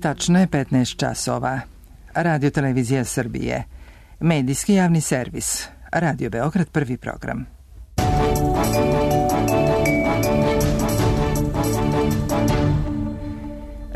tačno je 15 časova. Radio Televizija Srbije. Medijski javni servis. Radio Beograd, prvi program.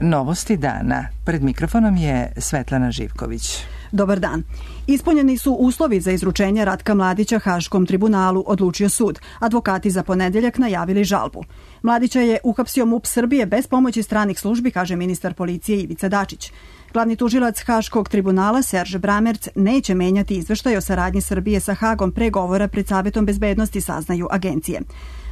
Novosti dana. Pred mikrofonom je Svetlana Živković. Dobar dan. Ispunjeni su uslovi za izručenje Ratka Mladića Haškom tribunalu, odlučio sud. Advokati za ponedeljak najavili žalbu. Mladića je uhapsio MUP Srbije bez pomoći stranih službi, kaže ministar policije Ivica Dačić. Glavni tužilac Haškog tribunala Serge Bramerc neće menjati izveštaj o saradnji Srbije sa Hagom pre govora pred Savetom bezbednosti, saznaju agencije.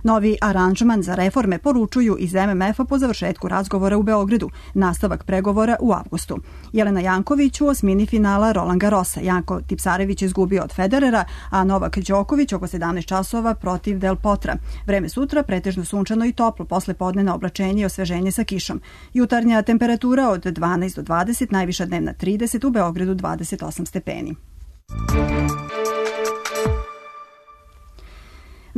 Novi aranžman za reforme poručuju iz MMF-a po završetku razgovora u Beogradu, nastavak pregovora u avgustu. Jelena Janković u osmini finala Roland Garrosa. Janko Tipsarević izgubio od Federera, a Novak Đoković oko 17 časova protiv Del Potra. Vreme sutra pretežno sunčano i toplo, posle podnevna oblačenje i osveženje sa kišom. Jutarnja temperatura od 12 do 20, najviša dnevna 30, u Beogradu 28 stepeni.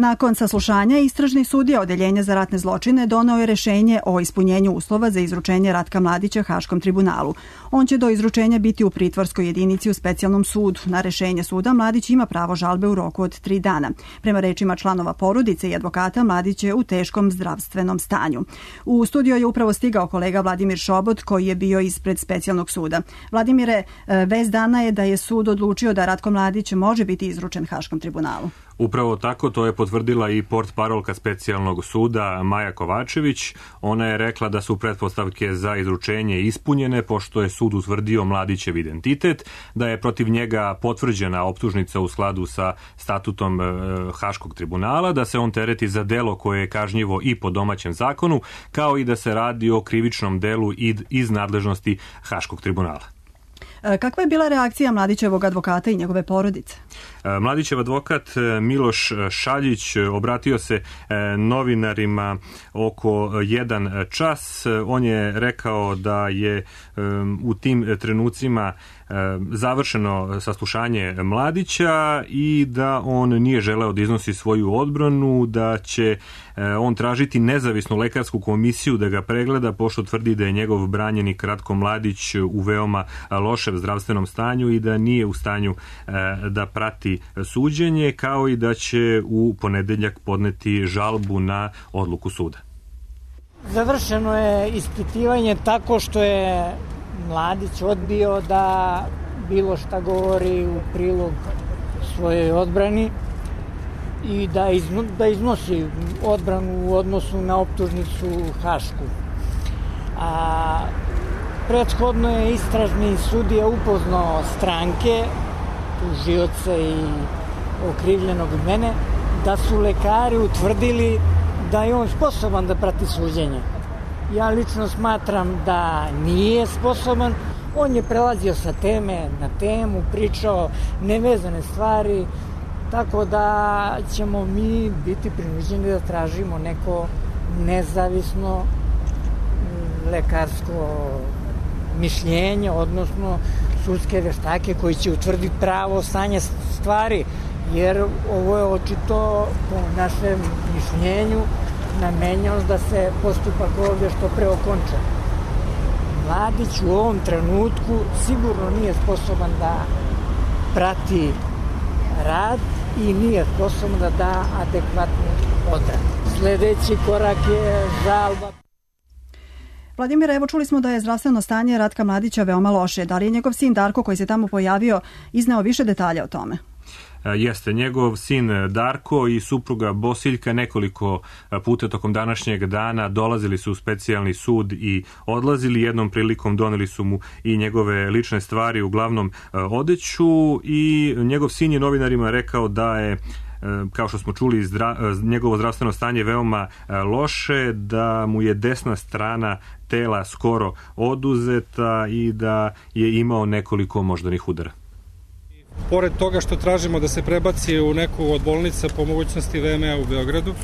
Nakon saslušanja, istražni sudija Odeljenja za ratne zločine doneo je rešenje o ispunjenju uslova za izručenje Ratka Mladića Haškom tribunalu. On će do izručenja biti u pritvorskoj jedinici u specijalnom sudu. Na rešenje suda Mladić ima pravo žalbe u roku od 3 dana. Prema rečima članova porodice i advokata, Mladić je u teškom zdravstvenom stanju. U studio je upravo stigao kolega Vladimir Šobot, koji je bio ispred specijalnog suda. Vladimire, vest dana je da je sud odlučio da Ratko Mladić može biti izručen Haškom tribunalu. Upravo tako, to je potvrdila i portparolka specijalnog suda Maja Kovačević. Ona je rekla da su pretpostavke za izručenje ispunjene, pošto je sud utvrdio Mladićev identitet, da je protiv njega potvrđena optužnica u skladu sa statutom Haškog tribunala, da se on tereti za delo koje je kažnjivo i po domaćem zakonu, kao i da se radi o krivičnom delu iz nadležnosti Haškog tribunala. Kakva je bila reakcija Mladićevog advokata i njegove porodice? Mladićev advokat Miloš Šaljić obratio se novinarima oko 1 čas. On je rekao da je u tim trenucima završeno saslušanje Mladića i da on nije želeo da iznosi svoju odbranu, da će on tražiti nezavisnu lekarsku komisiju da ga pregleda, pošto tvrdi da je njegov branjenik Ratko Mladić u veoma lošem zdravstvenom stanju i da nije u stanju da prati suđenje, kao i da će u ponedeljak podneti žalbu na odluku suda. Završeno je ispitivanje tako što je Mladić odbio da bilo šta govori u prilog svojoj odbrani i da iznosi odbranu u odnosu na optužnicu Hašku. Prethodno je istražni sudija upoznao stranke, tužioce i okrivljenog mene, da su lekari utvrdili da je on sposoban da prati suđenje. Ja lično smatram da nije sposoban. On je prelazio sa teme na temu, pričao nevezane stvari, tako da ćemo mi biti prinuđeni da tražimo neko nezavisno lekarsko mišljenje, odnosno sudske veštake koji će utvrditi pravo stanje stvari, jer ovo je očito po našem mišljenju namenjeno da se postupak ovdje što pre okonča. Mladić u ovom trenutku sigurno nije sposoban da prati rad i nije sposoban da da adekvatnu odbranu. Sljedeći korak je žalba. Vladimire, evo čuli smo da je zdravstveno stanje Ratka Mladića veoma loše. Da li je njegov sin Darko, koji se tamo pojavio, izneo više detalja o tome? Jeste, njegov sin Darko i supruga Bosiljka nekoliko puta tokom današnjeg dana dolazili su u specijalni sud i odlazili. Jednom prilikom doneli su mu i njegove lične stvari, uglavnom odeću, i njegov sin je novinarima rekao da je, kao što smo čuli, njegovo zdravstveno stanje veoma loše, da mu je desna strana tela skoro oduzeta i da je imao nekoliko moždanih udara. Pored toga što tražimo da se prebaci u neku od bolnica po mogućnosti VMA u Beogradu,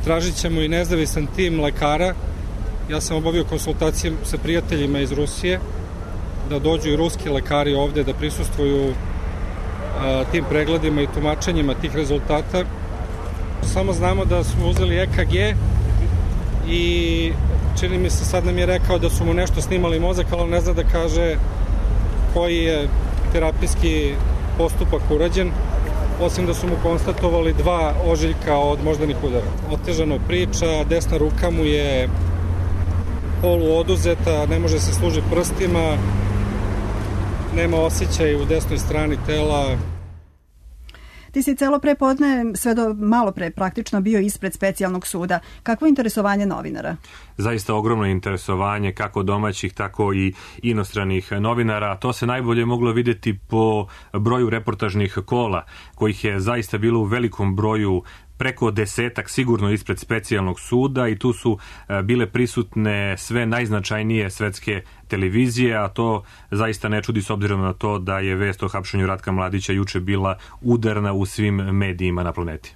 tražit ćemo i nezavisan tim lekara. Ja sam obavio konsultacije sa prijateljima iz Rusije, da dođu i ruski lekari ovde da prisustvuju tim pregledima i tumačenjima tih rezultata. Samo znamo da smo uzeli EKG i čini mi se sad nam je rekao da su mu nešto snimali mozak, ali on ne zna da kaže koji je terapijski postupak urađen, osim da su mu konstatovali 2 ožiljka od moždanih udara. Otežano priča, desna ruka mu je polu oduzeta, ne može se služiti prstima, nema osjećaj u desnoj strani tela. Ti si celo prepodne, sve do malo pre praktično bio ispred specijalnog suda. Kakvo je interesovanje novinara? Zaista ogromno interesovanje kako domaćih, tako i inostranih novinara. To se najbolje moglo vidjeti po broju reportažnih kola, kojih je zaista bilo u velikom broju, preko 10 sigurno ispred specijalnog suda, i tu su bile prisutne sve najznačajnije svetske televizije, a to zaista ne čudi s obzirom na to da je vest o hapšenju Ratka Mladića juče bila udarna u svim medijima na planeti.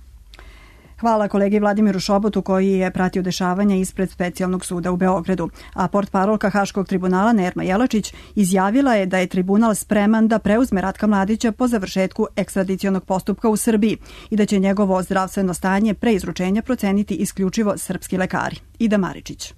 Hvala kolegi Vladimiru Šobotu koji je pratio dešavanja ispred specijalnog suda u Beogradu. A portparolka Haškog tribunala Nerma Jelačić izjavila je da je tribunal spreman da preuzme Ratka Mladića po završetku ekstradicionog postupka u Srbiji i da će njegovo zdravstveno stanje pre izručenja proceniti isključivo srpski lekari. Ida Maričić.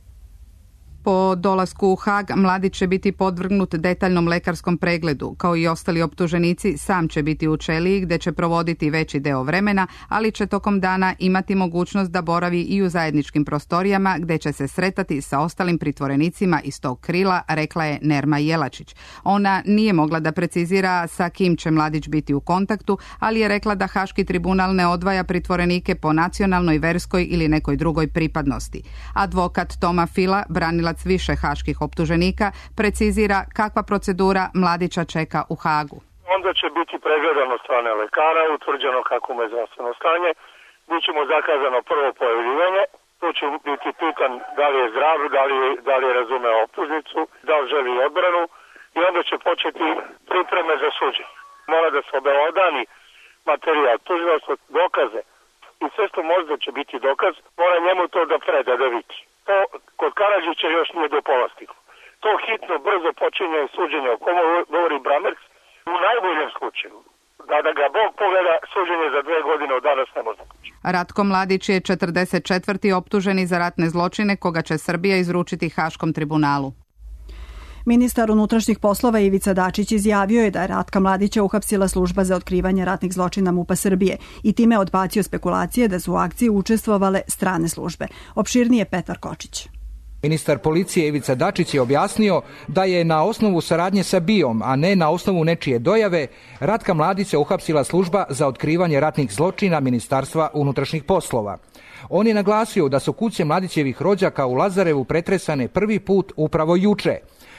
Po dolasku u Hag, Mladić će biti podvrgnut detaljnom lekarskom pregledu. Kao i ostali optuženici, sam će biti u ćeliji gde će provoditi veći deo vremena, ali će tokom dana imati mogućnost da boravi i u zajedničkim prostorijama gde će se sretati sa ostalim pritvorenicima iz tog krila, rekla je Nerma Jelačić. Ona nije mogla da precizira sa kim će Mladić biti u kontaktu, ali je rekla da Haški tribunal ne odvaja pritvorenike po nacionalnoj, verskoj ili nekoj drugoj pripadnosti. Advokat Toma Fila, branilac više haških optuženika, precizira kakva procedura Mladića čeka u Hagu. Onda će biti pregledan od strane lekara, utvrđeno kako mu je zdravstveno stanje, biće mu zakazano prvo pojavljivanje, tu će biti pitan da li je zdrav, da li je razumeo optužnicu, da li želi odbranu, i onda će početi pripreme za suđenje. Mora da se obelodani materijal, tužilaštvo, dokaze, i sve što možda će biti dokaz, mora njemu to da preda, da vidi. To kod Karadžića još nije do pola stiglo. To hitno, brzo počinje suđenje o komu govori Bramerc, u najboljem slučaju. Da ga Bog pogleda, suđenje za 2 godine od danas ne može početi. Ratko Mladić je 44. optuženi za ratne zločine, koga će Srbija izručiti Haškom tribunalu. Ministar unutrašnjih poslova Ivica Dačić izjavio je da je Ratka Mladića uhapsila služba za otkrivanje ratnih zločina MUP-a Srbije i time odbacio spekulacije da su u akciji učestvovale strane službe. Opširnije Petar Kočić. Ministar policije Ivica Dačić je objasnio da je na osnovu saradnje sa BIA-om, a ne na osnovu nečije dojave, Ratka Mladića uhapsila služba za otkrivanje ratnih zločina Ministarstva unutrašnjih poslova. On je naglasio da su kuće Mladićevih rođaka u Lazarevu pretresane prvi put upravo juče.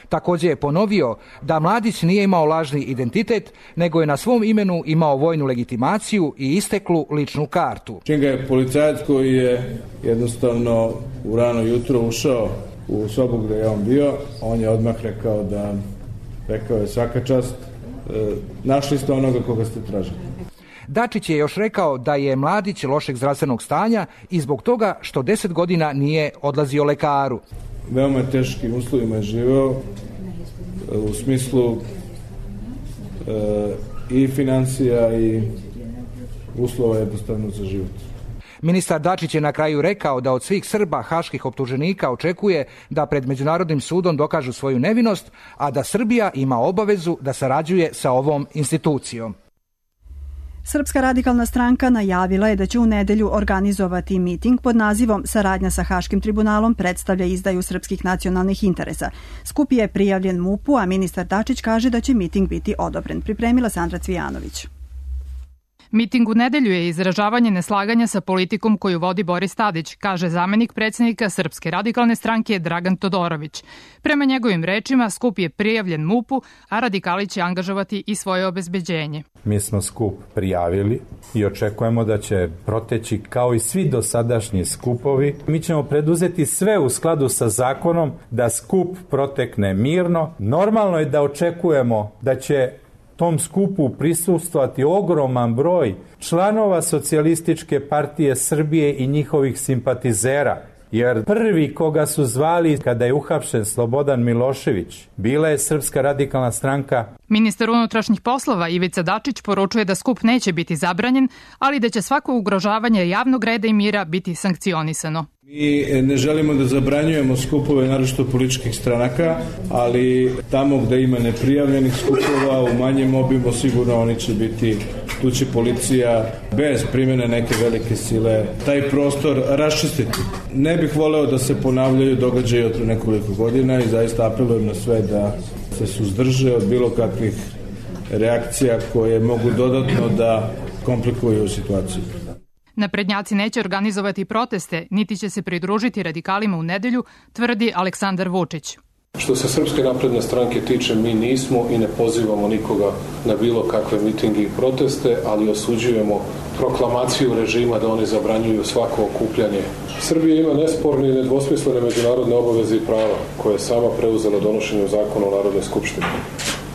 Također je ponovio da Mladić nije imao lažni identitet, nego je na svom imenu imao vojnu legitimaciju i isteklu ličnu kartu. Čim ga je policajac koji je jednostavno u rano jutro ušao u sobu gdje je on bio, on je odmah rekao je svaka čast, našli ste onoga koga ste tražili. Dačić je još rekao da je Mladić lošeg zdravstvenog stanja i zbog toga što 10 godina nije odlazio lekaru. Veoma teškim uslovima je živeo u smislu i financija i uslova jednostavno za život. Ministar Dačić je na kraju rekao da od svih Srba haških optuženika očekuje da pred Međunarodnim sudom dokažu svoju nevinost, a da Srbija ima obavezu da sarađuje sa ovom institucijom. Srpska radikalna stranka najavila je da će u nedelju organizovati miting pod nazivom Saradnja sa Haškim tribunalom predstavlja izdaju srpskih nacionalnih interesa. Skup je prijavljen MUP-u, a ministar Dačić kaže da će miting biti odobren. Pripremila Sandra Cvijanović. Miting u nedelju je izražavanje neslaganja sa politikom koju vodi Boris Tadić, kaže zamenik predsjednika Srpske radikalne stranke Dragan Todorović. Prema njegovim rečima, skup je prijavljen MUP-u, a radikali će angažovati i svoje obezbeđenje. Mi smo skup prijavili i očekujemo da će proteći kao i svi dosadašnji skupovi. Mi ćemo preduzeti sve u skladu sa zakonom da skup protekne mirno. Normalno je da očekujemo da će tom skupu prisustvovati ogroman broj članova Socijalističke partije Srbije i njihovih simpatizera. Jer prvi koga su zvali kada je uhapšen Slobodan Milošević bila je Srpska radikalna stranka. Ministar unutrašnjih poslova Ivica Dačić poručuje da skup neće biti zabranjen, ali da će svako ugrožavanje javnog reda i mira biti sankcionisano. Mi ne želimo da zabranjujemo skupove naročito političkih stranaka, ali tamo gde ima neprijavljenih skupova u manjem obimu sigurno oni će biti, tu će policija bez primjene neke velike sile taj prostor raščistiti. Ne bih voleo da se ponavljaju događaji od nekoliko godina i zaista apelujem na sve da se suzdrže od bilo kakvih reakcija koje mogu dodatno da komplikuju situaciju. Naprednjaci neće organizovati proteste, niti će se pridružiti radikalima u nedelju, tvrdi Aleksandar Vučić. Što se Srpske napredne stranke tiče, mi nismo i ne pozivamo nikoga na bilo kakve mitinge i proteste, ali osuđujemo proklamaciju režima da oni zabranjuju svako okupljanje. Srbija ima nesporne i nedvosmislene međunarodne obaveze i prava koje je sama preuzela donošenjem zakona o Narodnoj skupštini.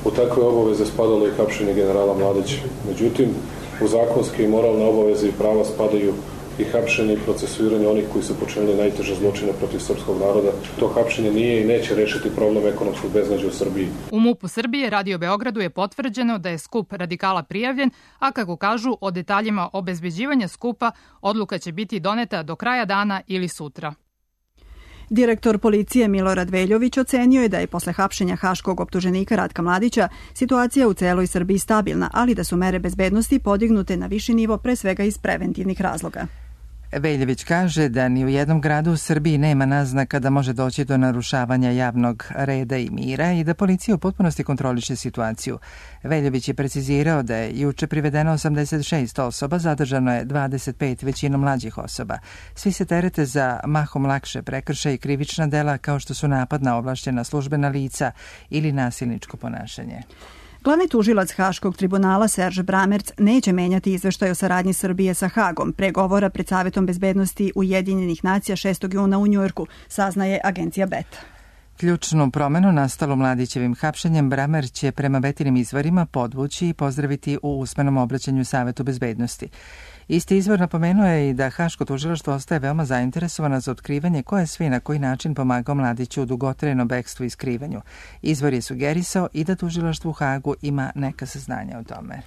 U takve obaveze spadalo i hapšenje generala Mladića. Međutim, u zakonske i moralne obaveze i prava spadaju i hapšenje i procesuiranje onih koji su počinili najteže zločine protiv srpskog naroda. To hapšenje nije i neće rešiti problem ekonomskog beznađa u Srbiji. U MUP-u Srbije Radio Beogradu je potvrđeno da je skup radikala prijavljen, a kako kažu, o detaljima obezbeđivanja skupa odluka će biti doneta do kraja dana ili sutra. Direktor policije Milorad Veljović ocenio je da je posle hapšenja haškog optuženika Ratka Mladića situacija u celoj Srbiji stabilna, ali da su mere bezbednosti podignute na viši nivo pre svega iz preventivnih razloga. Veljović kaže da ni u jednom gradu u Srbiji nema naznaka da može doći do narušavanja javnog reda i mira i da policija u potpunosti kontroliše situaciju. Veljović je precizirao da je juče privedeno 86 osoba, zadržano je 25 većinom mlađih osoba. Svi se terete za mahom lakše prekršaje i krivična dela kao što su napad na ovlašćena službena lica ili nasilničko ponašanje. Glavni tužilac Haškog tribunala Serge Bramerc neće menjati izveštaj o saradnji Srbije sa Hagom pre govora pred Savetom bezbednosti Ujedinjenih nacija 6. juna u Njujorku, saznaje agencija BET. Ključnu promenu nastalu Mladićevim hapšenjem Bramer će prema Betinim izvorima podvući i pozdraviti u usmenom obraćanju Savetu bezbednosti. Isti izvor napomenuo je i da Haško tužilaštvo ostaje veoma zainteresovano za otkrivanje ko je sve i na koji način pomagao Mladiću u dugotrajnom bekstvu i skrivanju. Izvor je sugerisao i da tužilaštvo u Hagu ima neka saznanja o tome.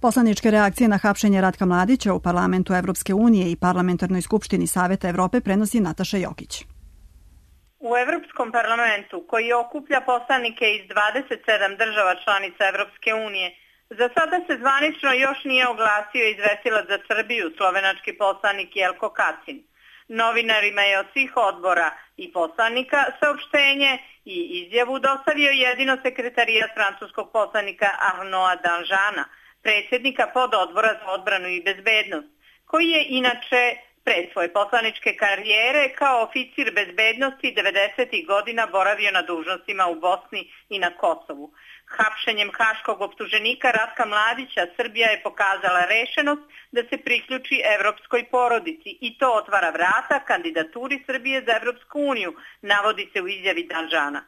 Poslaničke reakcije na hapšenje Ratka Mladića u parlamentu Evropske unije i parlamentarnoj skupštini Saveta Evrope prenosi Nataša Jokić. U Evropskom parlamentu, koji okuplja poslanike iz 27 država članica Evropske unije, za sada se zvanično još nije oglasio izvestilac za Srbiju, slovenački poslanik Jelko Kacin. Novinarima je od svih odbora i poslanika saopštenje i izjavu dostavio jedino sekretarijat francuskog poslanika Arnaud Danjana, predsjednika pododbora za odbranu i bezbednost, koji je inače pred svoje poslaničke karijere kao oficir bezbednosti 90. godina boravio na dužnostima u Bosni i na Kosovu. Hapšenjem haškog optuženika Ratka Mladića Srbija je pokazala rešenost da se priključi evropskoj porodici i to otvara vrata kandidaturi Srbije za Evropsku uniju, navodi se u izjavi Danjana.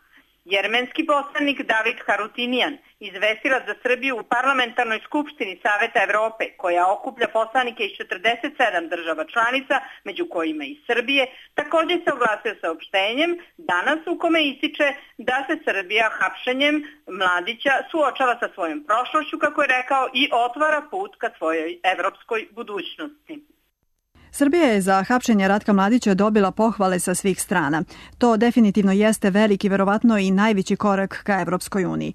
Jermenski poslanik David Harutinijan, izvestilac za Srbiju u parlamentarnoj skupštini Saveta Evrope, koja okuplja poslanike iz 47 država članica, među kojima i Srbije, također se oglasio saopštenjem danas u kome ističe da se Srbija hapšenjem Mladića suočava sa svojom prošlošću, kako je rekao, i otvara put ka svojoj evropskoj budućnosti. Srbija je za hapšenje Ratka Mladića dobila pohvale sa svih strana. To definitivno jeste veliki, verovatno i najveći korak ka Evropskoj uniji.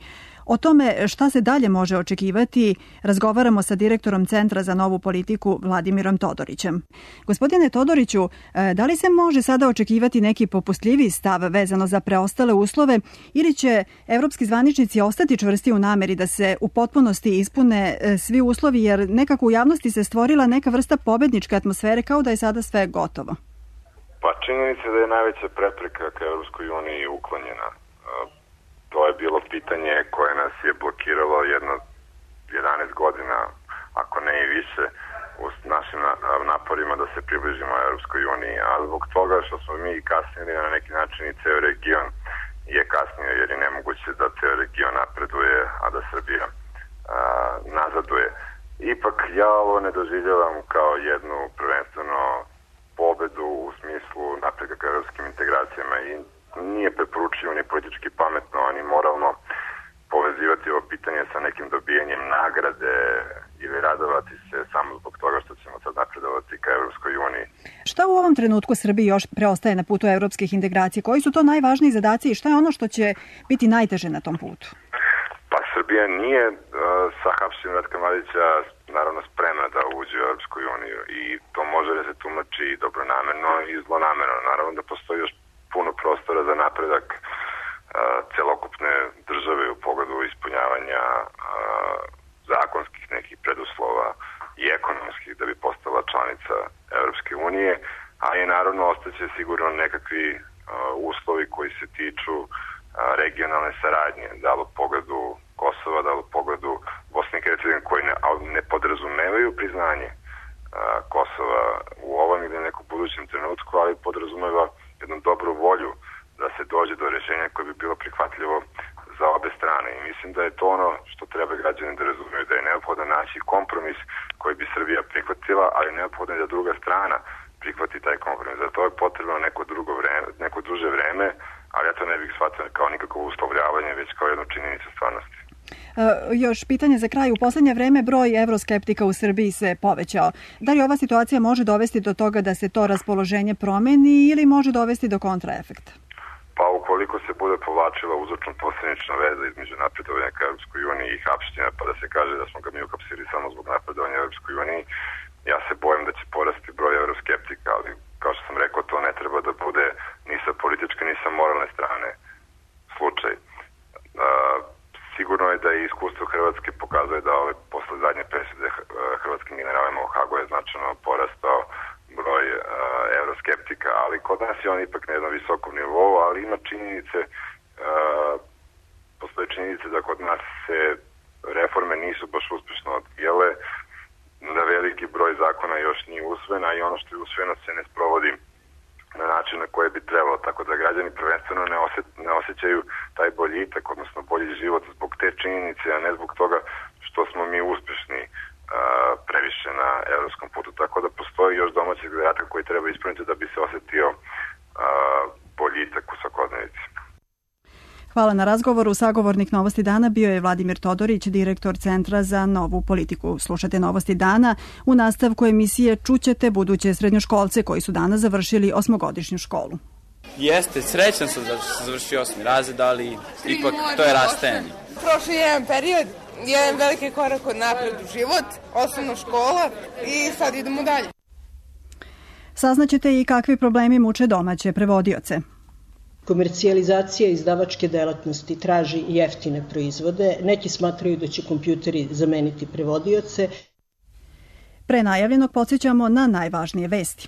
O tome šta se dalje može očekivati razgovaramo sa direktorom Centra za novu politiku Vladimirom Todorićem. Gospodine Todoriću, da li se može sada očekivati neki popustljiviji stav vezano za preostale uslove ili će evropski zvaničnici ostati čvrsti u nameri da se u potpunosti ispune svi uslovi, jer nekako u javnosti se stvorila neka vrsta pobedničke atmosfere kao da je sada sve gotovo? Pa činjenica da je najveća prepreka ka Evropskoj uniji uklonjena. To je bilo pitanje koje nas je blokiralo jedno 11 godina, ako ne i više, u našim naporima da se približimo Evropskoj uniji. A zbog toga što smo mi kasnili na neki način i ceo region je kasnio, jer je nemoguće da ceo region napreduje, a da Srbija nazaduje. Ipak ja ovo ne doživljavam kao jednu prvenstveno pobedu u smislu smislu napretka ka evropskim integracijama i nije preporučivo ni politički pametno, ani moralno povezivati ovo pitanje sa nekim dobijanjem nagrade ili radovati se samo zbog toga što ćemo sad napredovati ka Evropskoj uniji. Šta u ovom trenutku Srbiji još preostaje na putu evropskih integracija? Koji su to najvažniji zadaci i šta je ono što će biti najteže na tom putu? Pa Srbija nije sa hapšenjem Ratka Mladića naravno spremna da uđe u Evropskoj uniju i to može da se tumači i dobronamerno i zlonamerno. Naravno da postoji još puno prostora za napredak celokupne države u pogledu ispunjavanja zakonskih nekih preduslova i ekonomskih da bi postala članica Evropske unije, a i naravno ostaće sigurno nekakvi uslovi koji se tiču regionalne saradnje, da li u pogledu Kosova, da li u pogledu Bosne i Hercegovine, koji ne podrazumevaju priznanje Kosova u ovom ili nekom budućem trenutku, ali podrazumeva jednu dobru volju da se dođe do rješenja koje bi bilo prihvatljivo za obe strane. I mislim da je to ono što treba građani da razumeju, da je neophodno naći kompromis koji bi Srbija prihvatila, ali neophodno je da druga strana prihvati taj kompromis. Za to je potrebno neko duže vreme, ali ja to ne bih shvatio kao nikakvo uslovljavanje, već kao jednu činjenicu stvarnosti. Još pitanje za kraj. U poslednje vreme broj evroskeptika u Srbiji se povećao. Da li ova situacija može dovesti do toga da se to raspoloženje promeni ili može dovesti do kontraefekta? Pa ukoliko se bude povlačila uzročno-posljednična veza između napredovanja ka Evropskoj uniji i hapšenja, pa da se kaže da smo ga mi uhapsili samo zbog napredovanja Evropskoj uniji, ja se bojim da će porasti broj evroskeptika, ali kao što sam rekao, to ne treba da bude ni sa političke ni sa moralne strane slučaj. Sigurno je da i iskustvo Hrvatske pokazuje da posle zadnje presude hrvatskim generalima u Hagu je značajno porastao broj evroskeptika, ali kod nas je on ipak na jednom visokom nivou, ali ima činjenice, postoje činjenice da kod nas se reforme nisu baš uspešno odvijale, da veliki broj zakona još nije usvojen, a i ono što je usvojeno se ne sprovodi na način na koje bi trebalo, tako da građani prvenstveno ne osjećaju taj boljitak, odnosno bolji život zbog te činjenice, a ne zbog toga što smo mi uspešni previše na evropskom putu, tako da postoji još domaćih zadatak koji treba ispuniti da bi se osetio boljitak u svakodnevici. Hvala na razgovoru. Sagovornik Novosti dana bio je Vladimir Todorić, direktor Centra za novu politiku. Slušate Novosti dana. U nastavku emisije čućete buduće srednjoškolce koji su danas završili 8-godišnju školu. Jeste, srećan sam da sam završio 8. razred, ali ipak to je rastajanje. Prošli jedan period, jedan veliki korak od napred u život, osnovna škola i sad idemo dalje. Saznaćete i kakvi problemi muče domaće prevodioce. Komercijalizacija izdavačke delatnosti traži jeftine proizvode. Neki smatraju da će kompjuteri zameniti prevodioce. Pre najavljenog podsjećamo na najvažnije vesti.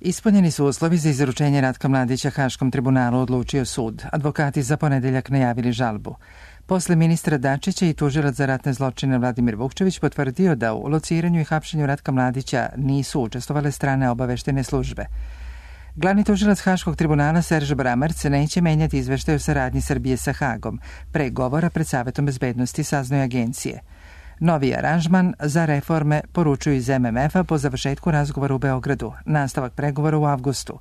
Ispunjeni su uslovi za izručenje Ratka Mladića Haškom tribunalu, odlučio sud. Advokati za ponedeljak najavili žalbu. Posle ministra Dačića i tužilac za ratne zločine Vladimir Vukčević potvrdio da u lociranju i hapšenju Ratka Mladića nisu učestvovale strane obaveštene službe. Glavni tužilac Haškog tribunala Serž Bramerc neće menjati izveštaj o saradnji Srbije sa Hagom. Pre govora pred Savetom bezbednosti saznaju agencije. Novi aranžman za reforme poručuju iz MMF-a po završetku razgovora u Beogradu. Nastavak pregovora u avgustu.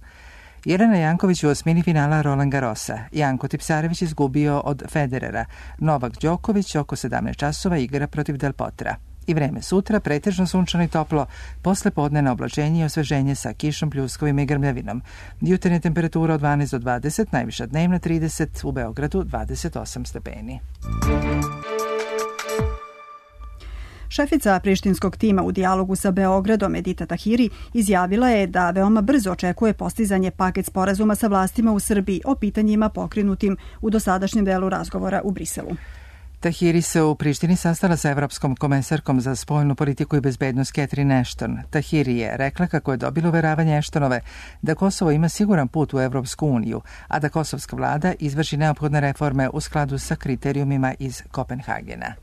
Jelena Janković u osmini finala Roland Garrosa. Janko Tipsarević izgubio od Federera. Novak Đoković oko 17 časova igra protiv Del Potra. I vreme sutra, pretežno sunčano i toplo, posle podnevna oblačenje i osveženje sa kišom, pljuskovima i grmljavinom. Jutarnja temperatura od 12 do 20, najviša dnevna 30, u Beogradu 28 stepeni. Šefica prištinskog tima u dijalogu sa Beogradom Edita Tahiri izjavila je da veoma brzo očekuje postizanje paket sporazuma sa vlastima u Srbiji o pitanjima pokrenutim u dosadašnjem delu razgovora u Briselu. Tahiri se u Prištini sastala sa evropskom komesarkom za spoljnu politiku i bezbednost Catherine Ashton. Tahiri je rekla kako je dobila uveravanje Ashtonove da Kosovo ima siguran put u Evropsku uniju, a da kosovska vlada izvrši neophodne reforme u skladu sa kriterijumima iz Kopenhagena.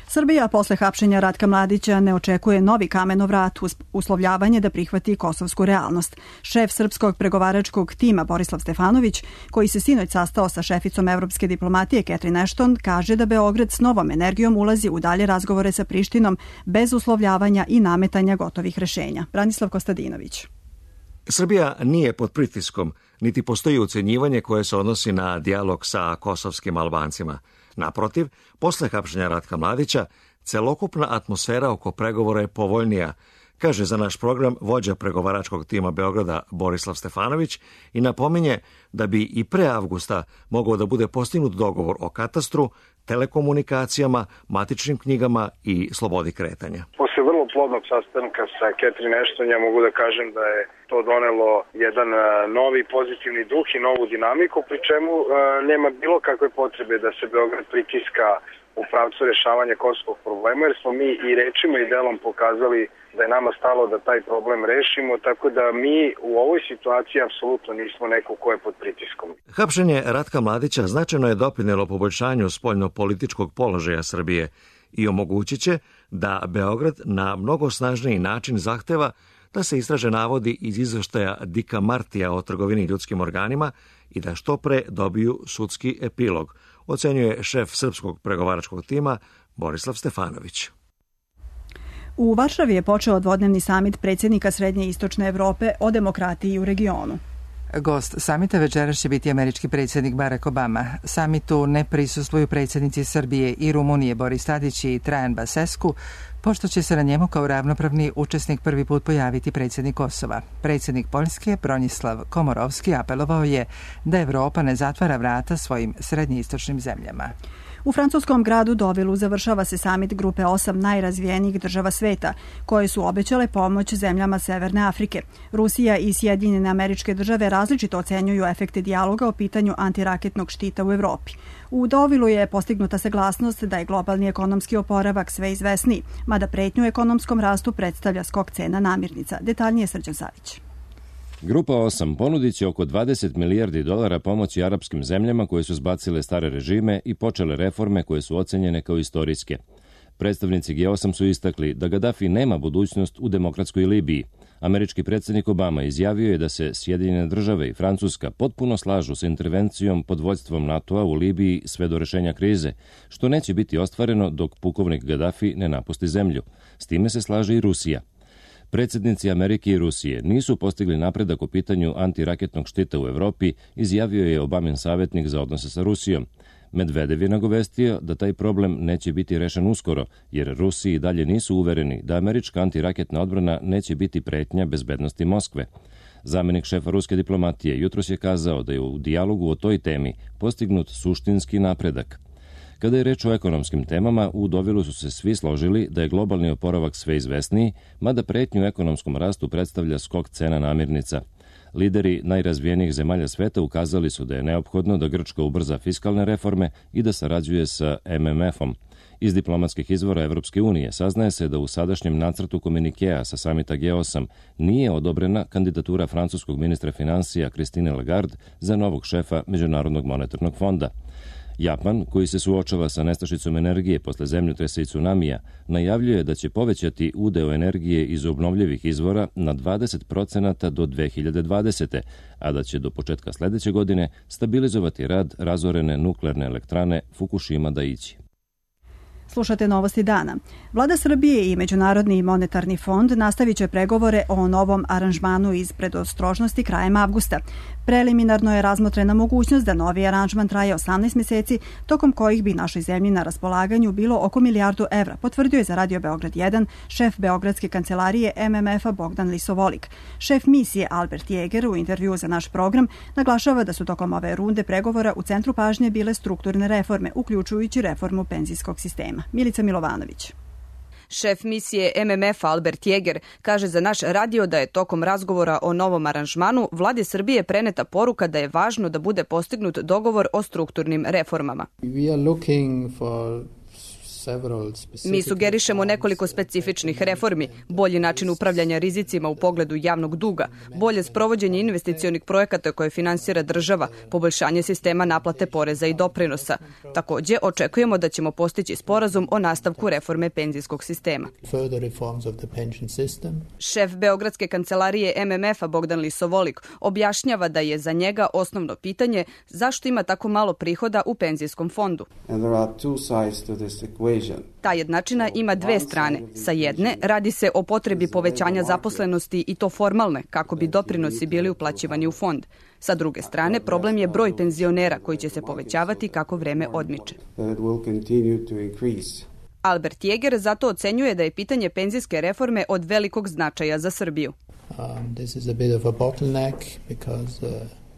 Srbija posle hapšenja Ratka Mladića ne očekuje novi kamenovrat uz uslovljavanje da prihvati kosovsku realnost. Šef srpskog pregovaračkog tima Borislav Stefanović, koji se sinoć sastao sa šeficom evropske diplomatije Catherine Ashton, kaže da Beograd s novom energijom ulazi u dalje razgovore sa Prištinom bez uslovljavanja i nametanja gotovih rešenja. Branislav Kostadinović. Srbija nije pod pritiskom, niti postoji ucenjivanje koje se odnosi na dijalog sa kosovskim Albancima. Naprotiv, posle hapšenja Ratka Mladića, celokupna atmosfera oko pregovora je povoljnija, kaže za naš program vođa pregovaračkog tima Beograda Borislav Stefanović i napominje da bi i pre avgusta mogao da bude postignut dogovor o katastru, telekomunikacijama, matičnim knjigama i slobodi kretanja. Posle vrlo plodnog sastanka sa Catherine Ashton ja mogu da kažem da je to donelo jedan novi pozitivni duh i novu dinamiku, pri čemu nema bilo kakve potrebe da se Beograd pritiska u pravcu rešavanja kosovskog problema, jer smo mi i rečima i delom pokazali da je nama stalo da taj problem rešimo, tako da mi u ovoj situaciji apsolutno nismo neko ko je pod pritiskom. Hapšenje Ratka Mladića značajno je doprinelo poboljšanju spoljnopolitičkog položaja Srbije i omogućit će da Beograd na mnogo snažniji način zahteva da se istraže navodi iz izveštaja Dika Martija o trgovini ljudskim organima i da što pre dobiju sudski epilog, ocenjuje šef srpskog pregovaračkog tima Borislav Stefanović. U Varšavi je počeo dvodnevni samit predsjednika Srednje i Istočne Evrope o demokratiji u regionu. Gost samita večeras će biti američki predsjednik Barack Obama. Samitu ne prisustvuju predsjednici Srbije i Rumunije Boris Tadić i Trajan Basescu, pošto će se na njemu kao ravnopravni učesnik prvi put pojaviti predsjednik Kosova. Predsjednik Poljske Bronislav Komorovski apelovao je da Evropa ne zatvara vrata svojim srednjoistočnim zemljama. U francuskom gradu Dovilu završava se samit grupe 8 najrazvijenijih država sveta, koje su obećale pomoć zemljama Severne Afrike. Rusija i Sjedinjene Američke Države različito ocenjuju efekte dijaloga o pitanju antiraketnog štita u Evropi. U Dovilu je postignuta saglasnost da je globalni ekonomski oporavak sve izvesniji, mada pretnju ekonomskom rastu predstavlja skok cena namirnica. Detaljnije Srđan Savić. Grupa 8 ponudit će oko 20 milijardi dolara pomoći arapskim zemljama koje su zbacile stare režime i počele reforme koje su ocenjene kao istorijske. Predstavnici G8 su istakli da Gaddafi nema budućnost u demokratskoj Libiji. Američki predsjednik Obama izjavio je da se Sjedinjene Države i Francuska potpuno slažu sa intervencijom pod vođstvom NATO-a u Libiji sve do rešenja krize, što neće biti ostvareno dok pukovnik Gaddafi ne napusti zemlju. S time se slaže i Rusija. Predsjednici Amerike i Rusije nisu postigli napredak u pitanju antiraketnog štita u Evropi, izjavio je Obamin savjetnik za odnose sa Rusijom. Medvedev je nagovestio da taj problem neće biti rešen uskoro, jer Rusiji dalje nisu uvereni da američka antiraketna odbrana neće biti pretnja bezbednosti Moskve. Zamenik šefa ruske diplomatije jutros je kazao da je u dijalogu o toj temi postignut suštinski napredak. Kada je reč o ekonomskim temama, u Dovilu su se svi složili da je globalni oporavak sve izvesniji, mada pretnju ekonomskom rastu predstavlja skok cena namirnica. Lideri najrazvijenijih zemalja sveta ukazali su da je neophodno da Grčka ubrza fiskalne reforme i da sarađuje sa MMF-om. Iz diplomatskih izvora Evropske unije saznaje se da u sadašnjem nacrtu komunikea sa samita G8 nije odobrena kandidatura francuskog ministra finansija Christine Lagarde za novog šefa Međunarodnog monetarnog fonda. Japan, koji se suočava sa nestašicom energije posle zemljotresa i tsunamija, najavljuje da će povećati udeo energije iz obnovljivih izvora na 20% do 2020. a da će do početka sledeće godine stabilizovati rad razorene nuklearne elektrane Fukushima Daiichi. Slušate Novosti dana. Vlada Srbije i Međunarodni monetarni fond nastavit će pregovore o novom aranžmanu iz predostrožnosti krajem avgusta. Preliminarno je razmotrena mogućnost da novi aranžman traje 18 mjeseci, tokom kojih bi našoj zemlji na raspolaganju bilo oko milijardu evra, potvrdio je za Radio Beograd 1 šef Beogradske kancelarije MMF-a Bogdan Lisovolik. Šef misije Albert Jeger u intervjuu za naš program naglašava da su tokom ove runde pregovora u centru pažnje bile strukturne reforme, uključujući reformu penzijskog sistema. Milica Milovanović. Šef misije MMF Albert Jeger kaže za naš radio da je tokom razgovora o novom aranžmanu vladi Srbije preneta poruka da je važno da bude postignut dogovor o strukturnim reformama. Mi sugerišemo nekoliko specifičnih reformi, bolji način upravljanja rizicima u pogledu javnog duga, bolje sprovođenje investicionih projekata koje finansira država, poboljšanje sistema naplate poreza i doprinosa. Takođe, očekujemo da ćemo postići sporazum o nastavku reforme penzijskog sistema. Šef Beogradske kancelarije MMF-a Bogdan Lisovolik objašnjava da je za njega osnovno pitanje zašto ima tako malo prihoda u penzijskom fondu. Ta jednačina ima dve strane. Sa jedne, radi se o potrebi povećanja zaposlenosti i to formalne, kako bi doprinosi bili uplaćivani u fond. Sa druge strane, problem je broj penzionera koji će se povećavati kako vreme odmiče. Albert Jäger zato ocenjuje da je pitanje penzijske reforme od velikog značaja za Srbiju.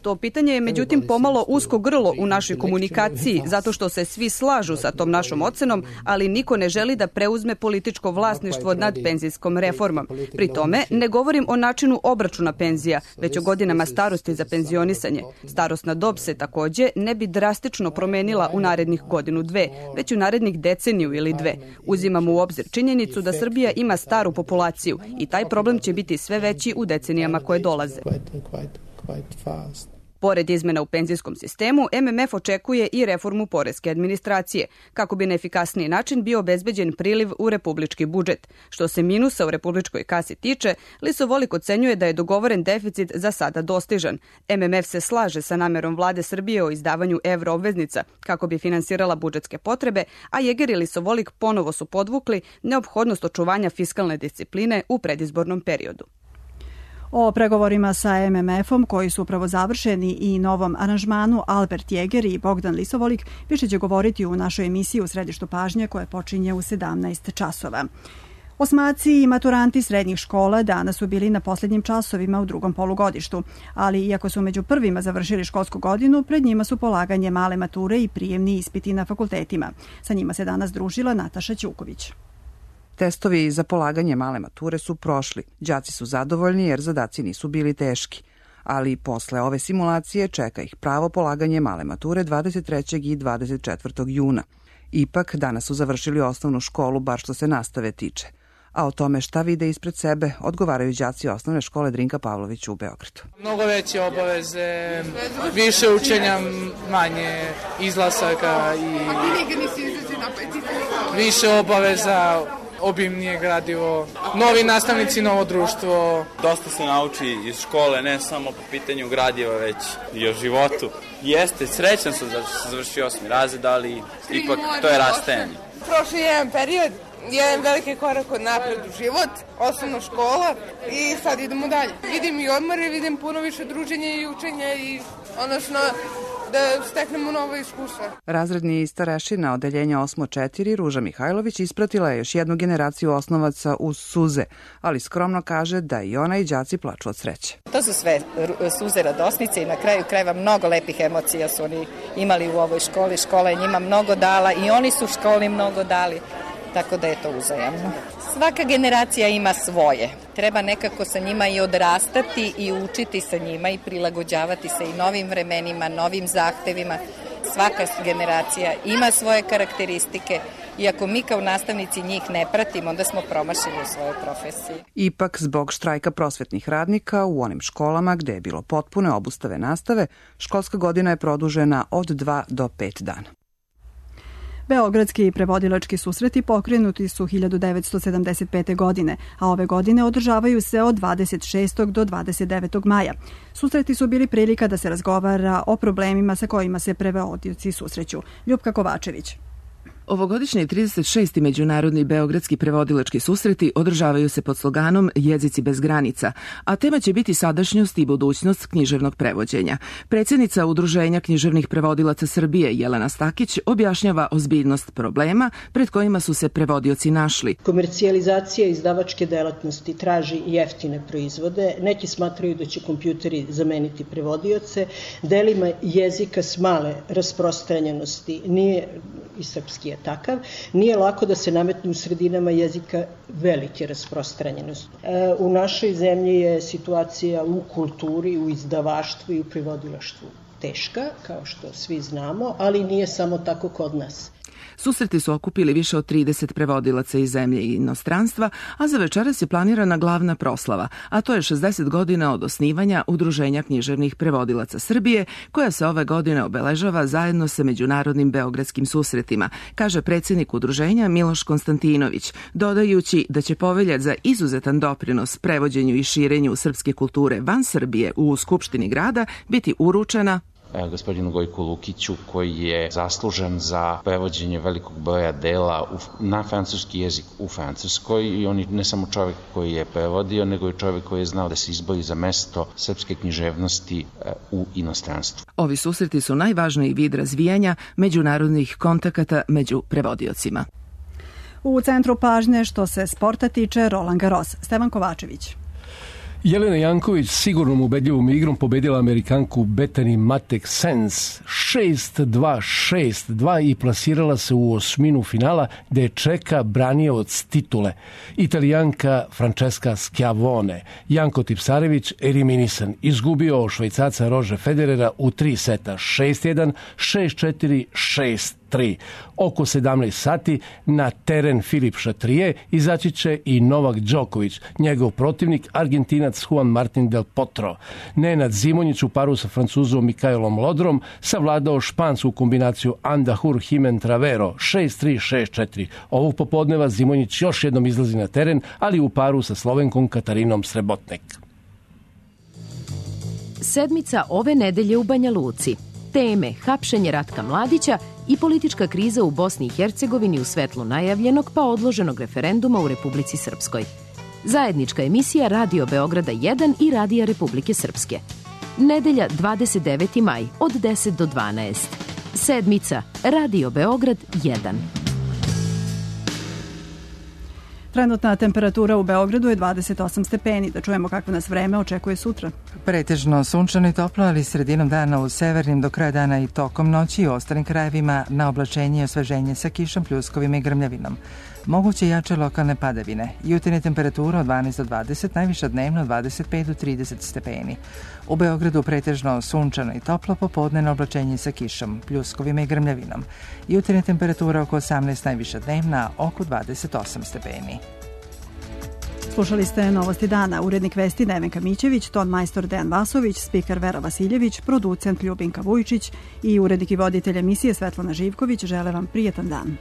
To pitanje je međutim pomalo usko grlo u našoj komunikaciji zato što se svi slažu sa tom našom ocenom, ali niko ne želi da preuzme političko vlasništvo nad penzijskom reformom. Pri tome ne govorim o načinu obračuna penzija, već o godinama starosti za penzionisanje. Starosna dob se takođe ne bi drastično promenila u narednih godinu, dve, već u narednih deceniju ili dve. Uzimamo u obzir činjenicu da Srbija ima staru populaciju i taj problem će biti sve veći u decenijama koje dolaze. Pored izmena u penzijskom sistemu, MMF očekuje i reformu poreske administracije, kako bi na efikasniji način bio obezbeđen priliv u republički budžet. Što se minusa u republičkoj kasi tiče, Lisovolik ocenjuje da je dogovoren deficit za sada dostižan. MMF se slaže sa namerom vlade Srbije o izdavanju evroobveznica kako bi finansirala budžetske potrebe, a Jäger i Lisovolik ponovo su podvukli neophodnost očuvanja fiskalne discipline u predizbornom periodu. O pregovorima sa MMF-om koji su upravo završeni i novom aranžmanu Albert Jäger i Bogdan Lisovolik više će govoriti u našoj emisiji U središtu pažnje koja počinje u 17 časova. Osmaci i maturanti srednjih škola danas su bili na posljednjim časovima u drugom polugodištu, ali iako su među prvima završili školsku godinu, pred njima su polaganje male mature i prijemni ispiti na fakultetima. Sa njima se danas družila Nataša Ćuković. Testovi za polaganje male mature su prošli. Đaci su zadovoljni jer zadaci nisu bili teški. Ali posle ove simulacije čeka ih pravo polaganje male mature 23. i 24. juna. Ipak, danas su završili osnovnu školu, bar što se nastave tiče. A o tome šta vide ispred sebe odgovaraju đaci osnovne škole Drinka Pavlović u Beogradu. Mnogo veće obaveze, više učenja, manje izlasaka i više obaveza, obimnije gradivo, novi nastavnici, novo društvo. Dosta se nauči iz škole, ne samo po pitanju gradiva, već i o životu. Jeste, srećan sam da sam završio 8. razred, ali ipak to je rastajanje. Prošli jedan period, jedan veliki korak od napred u život, osnovna škola i sad idemo dalje. Vidim i odmore, vidim puno više druženja i učenja i odnosno da steknemo novo iskustvo. Razredni starešina odeljenja 8.4 Ruža Mihajlović ispratila je još jednu generaciju osnovaca uz suze, ali skromno kaže da i ona i đaci plaču od sreće. To su sve suze radosnice i na kraju krajeva mnogo lepih emocija su oni imali u ovoj školi. Škola je njima mnogo dala i oni su školi mnogo dali, tako da je to uzajamno. Svaka generacija ima svoje. Treba nekako sa njima i odrastati i učiti sa njima i prilagođavati se i novim vremenima, novim zahtevima. Svaka generacija ima svoje karakteristike i ako mi kao nastavnici njih ne pratimo, onda smo promašili u svojoj profesiji. Ipak, zbog štrajka prosvetnih radnika u onim školama gde je bilo potpune obustave nastave, školska godina je produžena od 2 do 5 dana. Beogradski prevodilački susreti pokrenuti su 1975. godine, a ove godine održavaju se od 26. do 29. maja. Susreti su bili prilika da se razgovara o problemima sa kojima se prevodioci susreću. Ljupka Kovačević. Ovogodišnji 36. međunarodni beogradski prevodilački susreti održavaju se pod sloganom Jezici bez granica, a tema će biti sadašnjost i budućnost književnog prevođenja. Predsjednica Udruženja književnih prevodilaca Srbije Jelena Stakić objašnjava ozbiljnost problema pred kojima su se prevodioci našli. Komercijalizacija izdavačke delatnosti traži jeftine proizvode. Neki smatraju da će kompjuteri zameniti prevodioce. Delima jezika s male rasprostranjenosti nije i srpski je takav, nije lako da se nametne u sredinama jezika velike rasprostranjenosti. U našoj zemlji je situacija u kulturi, u izdavaštvu i u prevodilaštvu teška, kao što svi znamo, ali nije samo tako kod nas. Susreti su okupili više od 30 prevodilaca iz zemlje i inostranstva, a za večeras je planirana glavna proslava, a to je 60 godina od osnivanja Udruženja književnih prevodilaca Srbije, koja se ove godine obeležava zajedno sa međunarodnim beogradskim susretima, kaže predsjednik udruženja Miloš Konstantinović, dodajući da će povelja za izuzetan doprinos prevođenju i širenju srpske kulture van Srbije u Skupštini grada biti uručena gospodinu Gojku Lukiću, koji je zaslužan za prevođenje velikog broja dela na francuski jezik u Francuskoj, i on je ne samo čovjek koji je prevodio, nego i čovjek koji je znao da se izbori za mesto srpske književnosti u inostranstvu. Ovi susreti su najvažniji vid razvijanja međunarodnih kontakata među prevodiocima. U centru pažnje što se sporta tiče Roland Garros. Stevan Kovačević. Jelena Janković sigurnom ubedljivom igrom pobedila Amerikanku Bethany Mattek-Sands 6-2, 6-2 i plasirala se u osminu finala gde je čeka branioc titule. Italijanka Francesca Schiavone. Janko Tipsarević eliminisan. Izgubio Švajcarca Rože Federera u 3 seta 6-1, 6-4, 6-3. Oko 17 sati na teren Filip Chatrier izaći će i Novak Đoković, njegov protivnik Argentinac Juan Martin del Potro. Nenad Zimonjić u paru sa Francuzom Mikaelom Lodrom savladao špansku kombinaciju Andahur Himen Travero 6-3, 6-4. Ovog popodneva Zimonjić još jednom izlazi na teren, ali u paru sa Slovenkom Katarinom Srebotnek. Sedmica ove nedelje u Banja Luci. Teme hapšenje Ratka Mladića i politička kriza u Bosni i Hercegovini u svetlu najavljenog pa odloženog referenduma u Republici Srpskoj. Zajednička emisija Radio Beograda 1 i Radija Republike Srpske. Nedelja 29. maj od 10 do 12. Sedmica Radio Beograd 1. Trenutna temperatura u Beogradu je 28 stepeni. Da čujemo kakvo nas vreme očekuje sutra. Pretežno sunčano i toplo, ali sredinom dana u severnim, do kraja dana i tokom noći i u ostalim krajevima na oblačenje i osveženje sa kišom, pljuskovima i grmljavinom. Moguće jače lokalne padavine. Jutarnje temperatura od 12 do 20, najviša dnevno od 25 do 30 stepeni. U Beogradu pretežno sunčano i toplo, popodne na oblačenje sa kišom, pljuskovima i grmljavinom. Jutarnje temperatura oko 18, najviša dnevna oko 28 stepeni. Slušali ste Novosti dana, urednik vesti Nevenka Mićević, ton majstor Dejan Vasović, spiker Vera Vasiljević, producent Ljubinka Vujčić i urednik i voditelj emisije Svetlana Živković. Žele vam prijetan dan.